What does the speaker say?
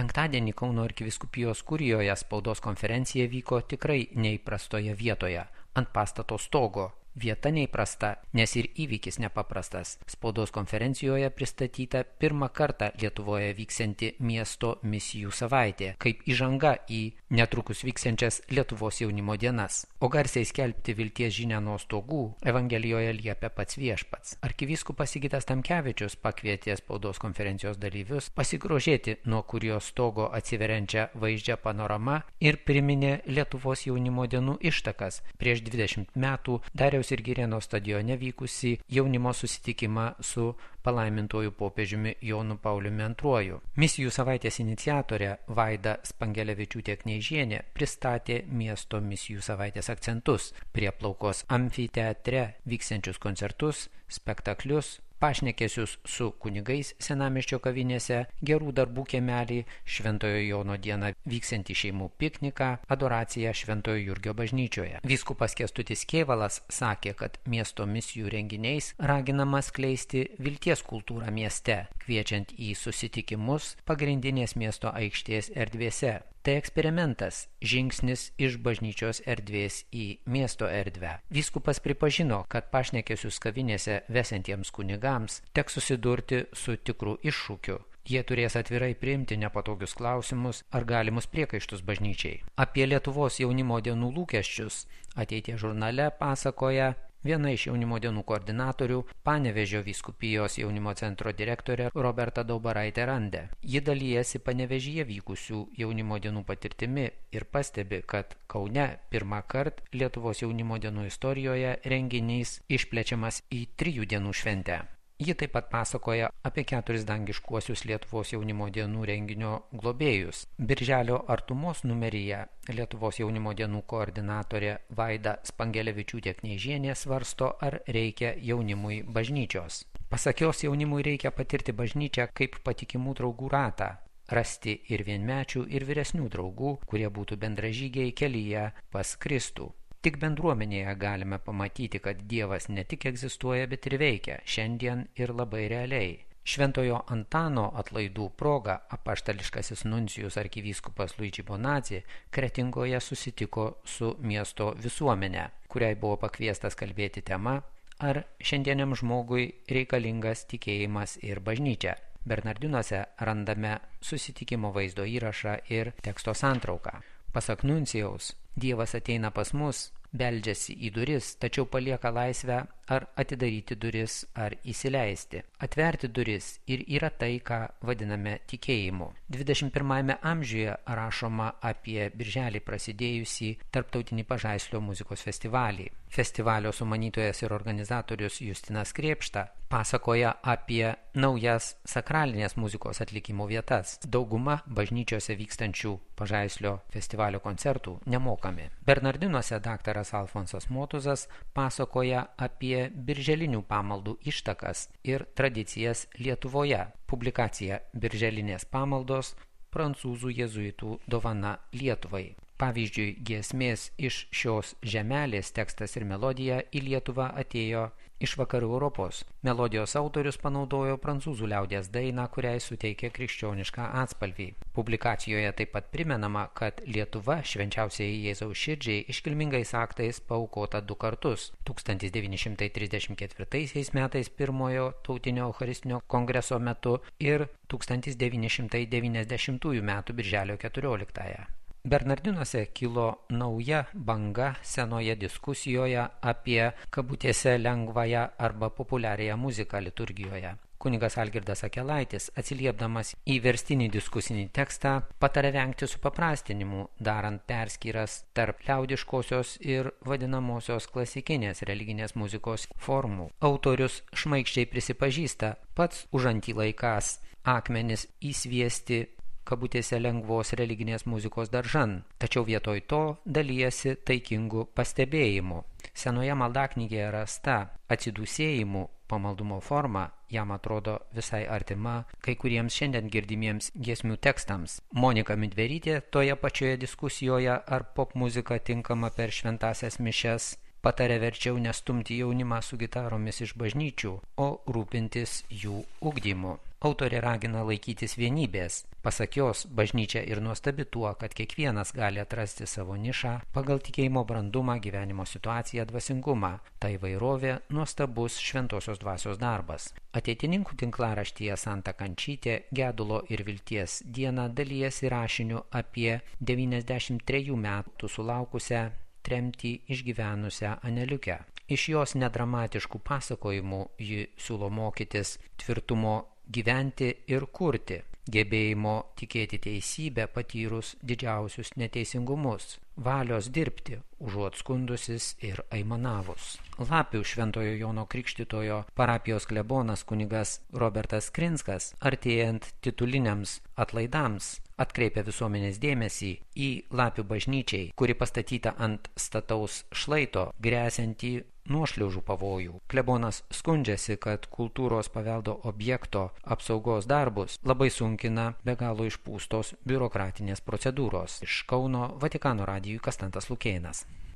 Penktadienį Kauno arkivyskupijos kurijoje spaudos konferencija vyko tikrai neįprastoje vietoje, ant pastato stogo. Vieta neįprasta, nes ir įvykis nepaprastas. Spaudos konferencijoje pristatyta pirmą kartą Lietuvoje vyksianti miesto misijų savaitė, kaip įžanga į netrukus vyksiančias Lietuvos jaunimo dienas. O garsiai skelbti vilties žinią nuo stogų Evangelijoje liepia pats Viešpats. Arkivyskupas Sigitas Tamkevičius pakvietė spaudos konferencijos dalyvius pasigrožėti nuo kurijos stogo atsiveriančią vaizdžią panoramą ir priminė Lietuvos jaunimo dienų ištakas prieš 20 metų Dariaus ir Girėno stadione vykusi jaunimo susitikimą su palaimintuoju popiežiumi Jonu Pauliumi II. Misijų savaitės iniciatorė Vaida Spangelevičiūtė Kneižienė pristatė miesto misijų savaitės akcentus, prieplaukos amfiteatre vyksiančius koncertus, spektaklius, pašnekesius su kunigais senamiesčio kavinėse, gerų darbų kiemelį, Šventojo Jono dieną vyksiantį šeimų pikniką, adoraciją Šventojo Jurgio bažnyčioje. Vyskupas Kęstutis Kėvalas sakė, kad miesto misijų renginiais raginama skleisti vilties kultūrą mieste, kviečiant į susitikimus pagrindinės miesto aikštės erdvėse. Tai eksperimentas, žingsnis iš bažnyčios erdvės į miesto erdvę. Vyskupas pripažino, kad pašnekesius kavinėse vesiantiems kunigams teks susidurti su tikru iššūkiu. Jie turės atvirai priimti nepatogius klausimus ar galimus priekaištus bažnyčiai. Apie Lietuvos jaunimo dienų lūkesčius Ateities žurnale pasakoja viena iš jaunimo dienų koordinatorių, Panevėžio vyskupijos jaunimo centro direktorė Roberta Daubaraitė Randė. Ji dalyjasi Panevėžyje vykusių jaunimo dienų patirtimi ir pastebi, kad Kaune pirmą kartą Lietuvos jaunimo dienų istorijoje renginys išplečiamas į 3 dienų šventę. Ji taip pat pasakoja apie 4 dangiškuosius Lietuvos jaunimo dienų renginio globėjus. Birželio artumos numeryje Lietuvos jaunimo dienų koordinatorė Vaida Spangelevičiūtė Kneižienė svarsto, ar reikia jaunimui bažnyčios. Pasak jos, jaunimui reikia patirti bažnyčią kaip patikimų draugų ratą, rasti ir vienmečių, ir vyresnių draugų, kurie būtų bendražygiai kelyje pas Kristų. Tik bendruomenėje galime pamatyti, kad Dievas ne tik egzistuoja, bet ir veikia, šiandien ir labai realiai. Šventojo Antano atlaidų proga apaštališkasis nuncijus arkivyskupas Luigi Bonazzi Kretingoje susitiko su miesto visuomene, kuriai buvo pakviestas kalbėti tema, ar šiandieniam žmogui reikalingas tikėjimas ir bažnyčia. Bernardinuose randame susitikimo vaizdo įrašą ir teksto santrauką. Pasak nuncijaus, Dievas ateina pas mus, beldžiasi į duris, tačiau palieka laisvę ar atidaryti duris, ar įsileisti. Atverti duris ir yra tai, ką vadiname tikėjimu. 21 amžiuje rašoma apie birželį prasidėjusį tarptautinį Pažaislio muzikos festivalį. Festivalio sumanytojas ir organizatorius Justinas Krėpšta pasakoja apie naujas sakralinės muzikos atlikimo vietas. Dauguma bažnyčiose vykstančių Pažaislio festivalio koncertų nemokami. Bernardinuose daktaras Alfonsas Motuzas pasakoja apie birželinių pamaldų ištakas ir tradicijas Lietuvoje. Publikacija Birželinės pamaldos prancūzų jėzuitų dovana Lietuvai. Pavyzdžiui, giesmės iš šios žemelės tekstas ir melodija į Lietuvą atėjo iš vakarų Europos. Melodijos autorius panaudojo prancūzų liaudies dainą, kuriai suteikė krikščionišką atspalvį. Publikacijoje taip pat primenama, kad Lietuva švenčiausiai Jėzaus širdžiai iškilmingais aktais paaukota 2 kartus. 1934 metais pirmojo tautinio eucharistinio kongreso metu ir 1990 metų birželio 14. Bernardinuose kilo nauja banga senoje diskusijoje apie kabutėse lengvąją arba populiariąją muziką liturgijoje. Kunigas Algirdas Akelaitis, atsiliepdamas į verstinį diskusinį tekstą, patarė vengti supaprastinimų, darant perskyras tarp liaudiškosios ir vadinamosios klasikinės religinės muzikos formų. Autorius šmaikščiai prisipažįsta, pats užantį laikas akmenis įsviesti kabutėse lengvos religinės muzikos daržan, tačiau vietoj to dalyjasi taikingų pastebėjimų. Senoje maldaknygėje rasta atsidūsėjimų pamaldumo forma jam atrodo visai artima kai kuriems šiandien girdimiems giesmių tekstams. Monika Midverytė toje pačioje diskusijoje, ar popmuzika tinkama per šventąsias mišias, patarė verčiau nestumti jaunimą su gitaromis iš bažnyčių, o rūpintis jų ugdymu. Autorė ragina laikytis vienybės. Pasak jos, bažnyčia ir nuostabi tuo, kad kiekvienas gali atrasti savo nišą pagal tikėjimo brandumą, gyvenimo situaciją, dvasingumą. Tai įvairovė nuostabus šventosios dvasios darbas. Ateitininkų tinklaraštyje Santa Kančytė gedulo ir vilties dieną dalijasi rašiniu apie 93 metų sulaukusią tremtį išgyvenusią Aneliukę. Iš jos nedramatiškų pasakojimų ji siūlo mokytis tvirtumo gyventi ir kurti, gebėjimo tikėti teisybę patyrus didžiausius neteisingumus, valios dirbti, užuot skundusis ir aimanavus. Lapių Šventojo Jono Krikštytojo parapijos klebonas kunigas Robertas Krinskas, artėjant tituliniams atlaidams, atkreipia visuomenės dėmesį į Lapių bažnyčiai, kuri pastatyta ant stataus šlaito, gresiantį nuošliaužų pavojų. Klebonas skundžiasi, kad kultūros paveldo objekto apsaugos darbus labai sunkina be galo išpūstos biurokratinės procedūros. Iš Kauno Vatikano radijui Kastantas Lukėnas.